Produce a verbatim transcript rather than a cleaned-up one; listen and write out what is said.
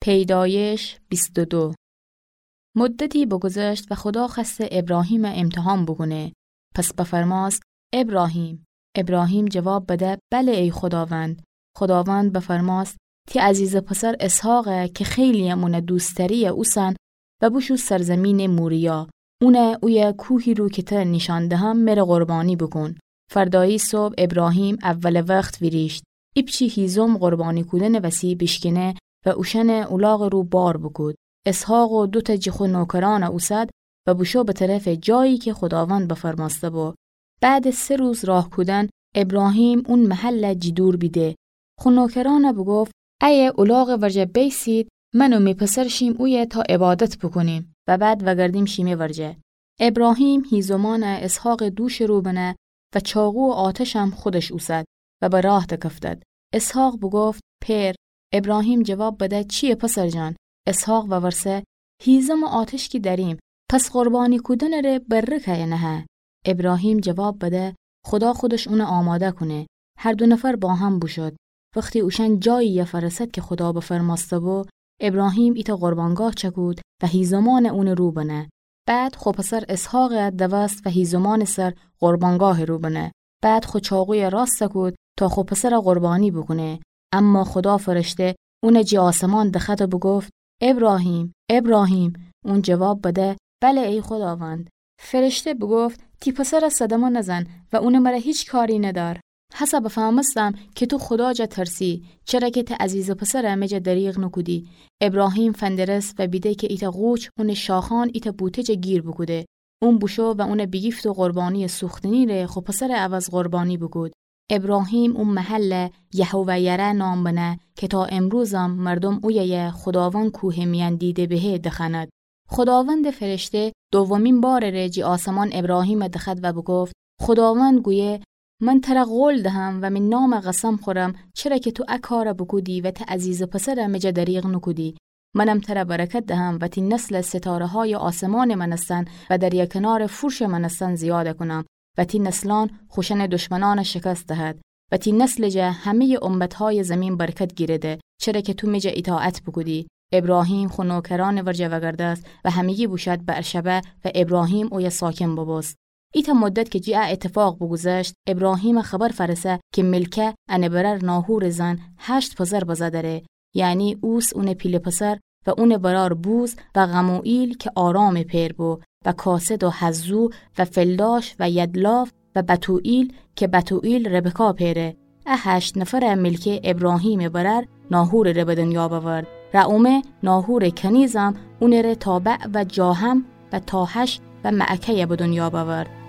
پیدایش بیست و دو. مدتی بگذشت و خودا خوأسته ابراهیمَ امتحان بوکونه. پس بفرمأست: ابراهیم. ابراهیم جواب بده: بله ای خوداوند. خوداوند بفرمأست: تی عزیزٚ پسر اسحاقَ کی خیلی‌یم اونَ دوست دأری‌یه اوسن و بوشو سرزیمینٚ موریا. اونَ اویه کوهی رو کی تره نیشأن دهم مره قربانی بوکون. فردایی صبح ابراهیم اولٚ وخت ویریشت. ایپچی هیزم قربانی کودنٚ وسی بیشکینه و اوشأنَ اولاغٚ رو بار بوکود. اسحاق و دوتأ جٚه خو نوکرأنَ اوسد و بوشو به طرفٚ جایی کی خوداوند بفرمأسته بو. بعدٚ سه روز راه کودن ابراهیم اون محلَ جٚه دور بیده. خو نوکرأنَ بوگفت: ایه اولاغٚ ورجه بیسید، من و می پسر شیم اویه تا عبادت بوکونیم و بعد وأگردیم شیمه ورجه. ابراهیم هیزمأنَ اسحاقٚ دوشٚ رو بنه و چاقو و آتشم خودش اوسد و به راه دکفتد. اسحاق بوگفت: پئر. ابراهیم جواب بده: چییه پسر جان؟ اسحاق وورسه: هیزم و آتش کی دأریم، پس قربانی کودنٚ ره برٚ کیه نهه؟ ابراهیم جواب بده: خودا خودش اونَ آماده کونه. هر دو نفر با هم بوشد. وختی اوشأن جایی‌یه فأرسد کی خودا بفرمأسته بو، ابراهیم ایتأ قربانگاه چأکود و هیزمأنَ اونٚ رو بنه. بعد خو پسر اسحاقَ دوست و هیزمأنٚ سر قربانگاهٚ رو بنه. بعد خو چاقویَ راست کود تا خو پسرَ قربانی بوکونه. اما خودا فرشته اونَ جٚه آسمان دخوأد و بوگفت: ابراهیم، ابراهیم! اون جواب بده: بله ای خوداوند. فرشته بوگفت: تی پسرَ صدمه نزن و اونٚ مره هیچ کاری ندأر. هسه بفهمستم کی تو خودا جا ترسی، چره کی تی عزیزٚ پسرَ می جا دریغ نوکودی. ابراهیم فندرس و بیده کی ایتأ قوچ اونٚ شاخأن ایتأ بوته جا گیر بوکوده. اون بوشو و اونَ بیگیفت و قربانیٚ سوختنی ره خو پسرٚ عوض قربانی بوکود. ابراهیم او محلَ یهوه‌یره نام بنه کی تا امروزم مردوم اویه‌یَ خوداوند کوهٚ میأن دیده بهه دخوأند. خوداوندٚ فرشته دومین بارٚ ره جٚه آسمان ابراهیمَ دخوأد و بوگفت: خوداوند گویه: من تره قول دهم و می نامَ قسم خورم، چره کی تو ا کارَ بوکودی و تی عزیزٚ پسرَ می جا دریغ نوکودی. منم تره برکت دهم و تی نسلَ ستاره‌هایٚ آسمانٚ مأنستن و دریا کنارٚ فورشٚ مأنستن زیادَ کونم و تی نسلأن خوشأنٚ دشمنأنَ شکست دهد و تی نسلٚ جا همه‌یٚ امت‌هایٚ زیمین برکت گیرده، چره کی تو می جا ایطاعت بوکودی. ابراهیم خو نوکرأنٚ ورجه وأگردست و همه‌یی بوشد بئرشبع و ابراهیم اویه ساکن بوبوست. ایتأ مدت کی جٚه ا ایتفاق بوگوذشت، ابراهیمَ خبر فأرسه کی ملکه انٚ برأر ناحورٚ زن هشت پسر بزه دأره، یعنی اوس اونٚ پیله پسر و اونٚ برأر بوز و غموئیل کی آرامٚ پئر بو و کاسد و حزو و فلداش و یدلاف و بتوئیل کی بتوئیل ربکا پئره. ا هشت نفرَ ملکه ابراهیمٚ برأر ناحورٚ ره به دنیا بأورد. رعومه ناحورٚ کنیزم اونٚ ره تابع و جاهم و تاحش و معکه‌یَ به دنیا بأورد.